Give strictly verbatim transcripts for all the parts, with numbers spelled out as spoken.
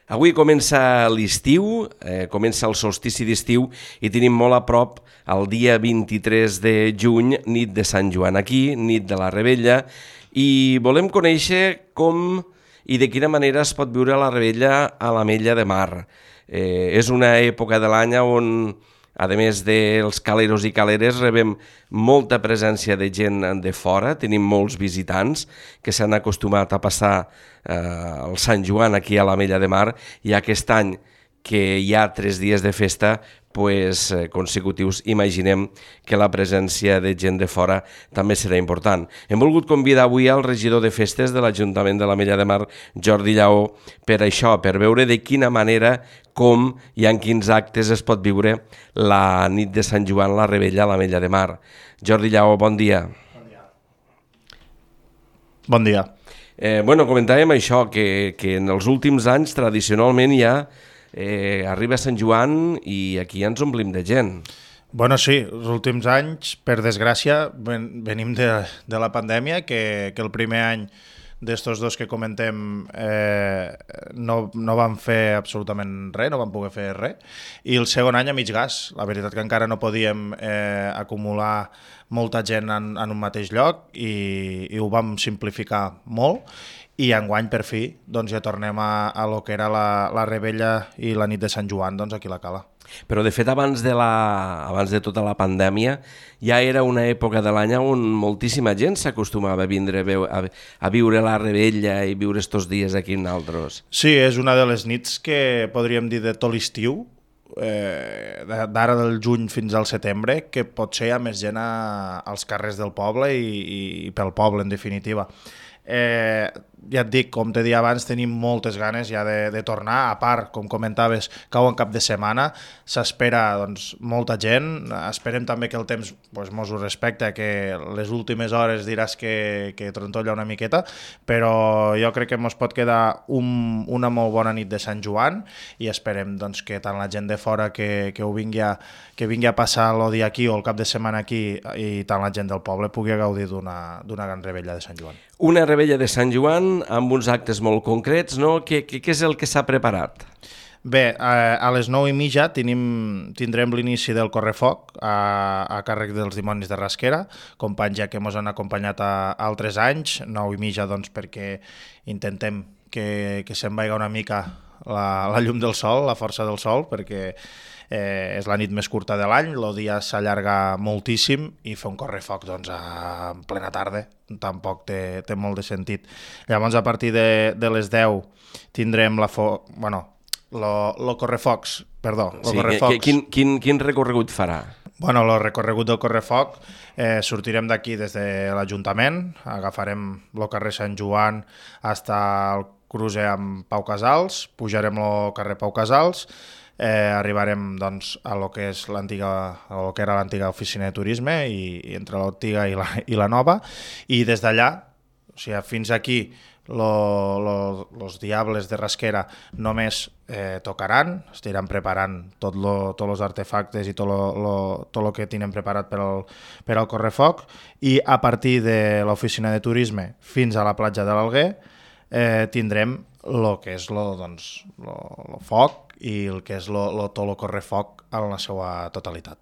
Avui comença l'estiu, eh, comença el solstici d'estiu i tenim molt a prop el dia vint-i-tres de juny, nit de Sant Joan aquí, nit de la Rebella, i volem conèixer com i de quina manera es pot viure la Rebella a l'Ametlla de Mar. Eh, és una època de l'any on, a més dels caleros i caleres, rebem molta presència de gent de fora, tenim molts visitants que s'han acostumat a passar eh, el Sant Joan aquí a l'Ametlla de Mar, i aquest any que hi ha tres dies de festa pues, eh, consecutius, imaginem que la presència de gent de fora també serà important. Hem volgut convidar avui al regidor de festes de l'Ajuntament de l'Ametlla de Mar, Jordi Lleó, per això, per veure de quina manera, com i en quins actes es pot viure la nit de Sant Joan, la Rebella a l'Ametlla de Mar. Jordi Lleó, bon dia. Bon dia. Bon dia. Eh, bueno, comentàvem això, que, que en els últims anys tradicionalment ja eh, arriba Sant Joan i aquí ja ens omplim de gent. Bueno, sí, els últims anys, per desgràcia, ven, venim de, de la pandèmia, que, que el primer any d'estos dos que comentem eh, no, no van fer absolutament res, no van poder fer res, i el segon any a mig gas. La veritat que encara no podíem eh, acumular molta gent en, en un mateix lloc i, i ho vam simplificar molt, i enguany per fi doncs, ja tornem a, a lo que era la, la Rebella i la nit de Sant Joan doncs, aquí a la Cala. Però de fet abans de, la, abans de tota la pandèmia ja era una època de l'any on moltíssima gent s'acostumava a vindre a, a viure la Rebella i viure estos dies aquí en altres. Sí, és una de les nits que podríem dir de tot l'estiu, eh, d'ara del juny fins al setembre, que potser hi ha més gent a, als carrers del poble i, i, i pel poble en definitiva. Eh, ja et dic, com t'he dit abans, tenim moltes ganes ja de, de tornar, a part, com comentaves, cau en cap de setmana, s'espera doncs, molta gent, esperem també que el temps pues, mos ho respecta, que les últimes hores diràs que, que trontolla una miqueta, però jo crec que mos pot quedar un, una molt bona nit de Sant Joan i esperem doncs, que tant la gent de fora que, que ho vingui a, que vingui a passar el dia aquí o el cap de setmana aquí i tant la gent del poble pugui gaudir d'una, d'una gran rebella de Sant Joan. Una rebella de Sant Joan amb uns actes molt concrets, no? Què, què, què és el que s'ha preparat? Bé, a, a les nou i mitja tenim, tindrem l'inici del correfoc a, a càrrec dels dimonis de Rasquera, companys ja que ens han acompanyat a, a altres anys, nou i mitja doncs perquè intentem que, que se'n vaiga una mica la, la llum del sol, la força del sol, perquè eh, és la nit més curta de l'any, el dia s'allarga moltíssim i fer un correfoc doncs, a, en plena tarda tampoc té, té molt de sentit. Llavors, a partir de, de les deu tindrem la fo... bueno, lo, lo correfocs, perdó, lo sí, correfocs. Quin, quin, quin recorregut farà? Bueno, el recorregut del correfoc, eh, sortirem d'aquí des de l'Ajuntament, agafarem el carrer Sant Joan fins al cruce amb Pau Casals, pujarem el carrer Pau Casals, eh, arribarem doncs, a lo que és l'antiga, a lo que era l'antiga oficina de turisme i, i entre l'antiga i, la, i la nova, i des d'allà, o sigui, fins aquí Lo, lo, los diables de Rasquera només eh, tocaran, estiran preparant tot lo, tots els artefactes i tot lo, lo, tot lo que tenen preparat per al, per al correfoc, i a partir de l'oficina de turisme fins a la platja de l'Alguer eh, tindrem el que és lo, doncs, lo, lo foc i el que és lo, lo, tot el correfoc en la seva totalitat.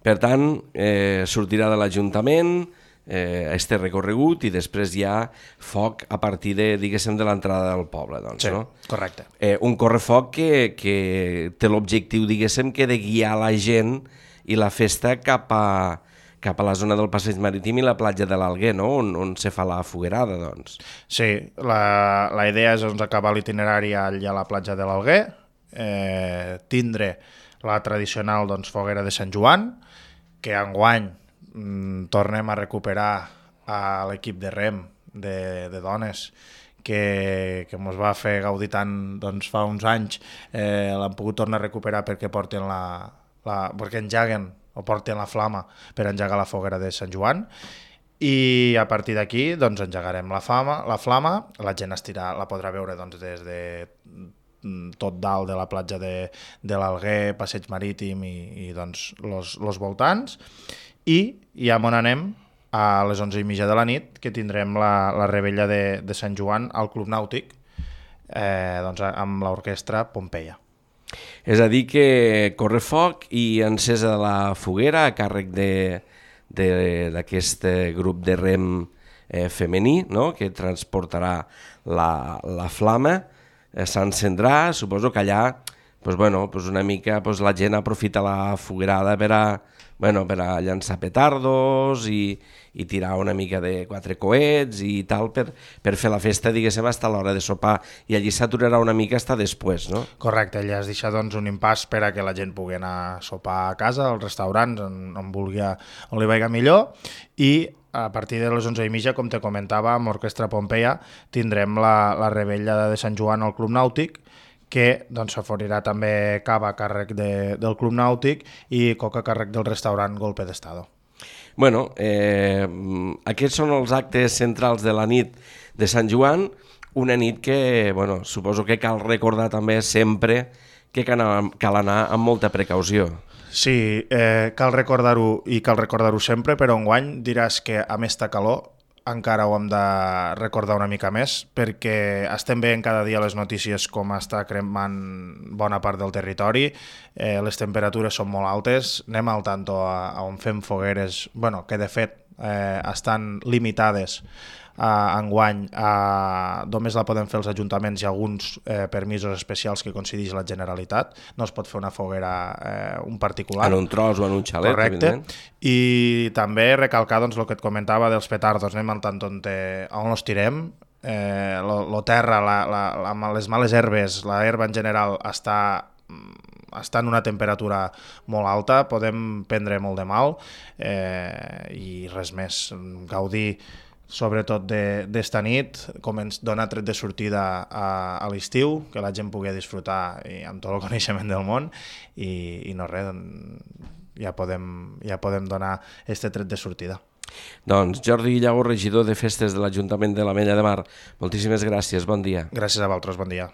Per tant, eh, sortirà de l'Ajuntament eh, este recorregut i després hi ha foc a partir de, diguéssim, de l'entrada del poble, doncs, sí, no? Correcte. Eh, un correfoc que, que té l'objectiu, diguéssim, que de guiar la gent i la festa cap a, cap a la zona del passeig marítim i la platja de l'Alguer, no? On, on se fa la foguerada, doncs. Sí, la, la idea és doncs, acabar l'itinerari allà a la platja de l'Alguer, eh, tindre la tradicional doncs, foguera de Sant Joan, que enguany tornem a recuperar a l'equip de rem de, de dones que, que ens va fer gaudir tant doncs, fa uns anys, eh, l'han pogut tornar a recuperar perquè porten la, la, perquè engeguen o porten la flama per engegar la foguera de Sant Joan, i a partir d'aquí doncs, engegarem la, fama, la flama, la gent estirà, la podrà veure doncs, des de tot dalt de la platja de, de l'Alguer, passeig marítim i, i doncs, los, los voltants, i ja on anem a les onze i mitja de la nit, que tindrem la, la rebella de, de Sant Joan al Club Nàutic, eh, doncs, amb l'orquestra Pompeia. És a dir que correfoc i encesa de la foguera a càrrec d'aquest grup de rem eh, femení, no?, que transportarà la, la flama, eh, s'encendrà, suposo que allà pues, bueno, pues una mica pues, la gent aprofita la foguerada per a, bueno, per a llançar petardos i, i tirar una mica de quatre coets i tal per, per fer la festa, diguéssim, fins a l'hora de sopar, i allí s'aturarà una mica fins després, no? Correcte, allà es deixa doncs, un impàs per a que la gent pugui anar a sopar a casa, als restaurants, on, on, vulgui, on li vagi millor, i a partir de les onze i mitja, com te comentava, amb Orquestra Pompeia tindrem la, la rebella de Sant Joan al Club Nàutic, que doncs, s'oferirà també cava a càrrec de, del Club Nàutic i coca a càrrec del restaurant Golpe d'Estado. Bueno, eh, aquests són els actes centrals de la nit de Sant Joan, una nit que, bueno, suposo que cal recordar també sempre que cal anar, cal anar amb molta precaució. Sí, eh, cal recordar-ho i cal recordar-ho sempre, però enguany diràs que a més ta calor encara ho hem de recordar una mica més, perquè estem veient cada dia les notícies com està cremant bona part del territori, eh, les temperatures són molt altes, anem al tanto a, a on fem fogueres, bueno, que de fet eh, estan limitades Uh, enguany uh, només la poden fer els ajuntaments i alguns eh, permisos especials que concedeix la Generalitat, no es pot fer una foguera eh, un particular. En un tros o en un xalet. Correcte. I també recalcar doncs, el que et comentava dels petardos, anem al tant on, te, on els tirem, eh, lo, lo terra, la, la, la, les males herbes, la herba en general està està en una temperatura molt alta, podem prendre molt de mal eh, i res més, gaudir sobretot d'esta nit, com ens dona tret de sortida a, a l'estiu, que la gent pugui disfrutar i, amb tot el coneixement del món i, i no res, ja podem, ja podem donar este tret de sortida. Doncs Jordi Llago, regidor de Festes de l'Ajuntament de l'Ametlla de Mar, moltíssimes gràcies, bon dia. Gràcies a vosaltres, bon dia.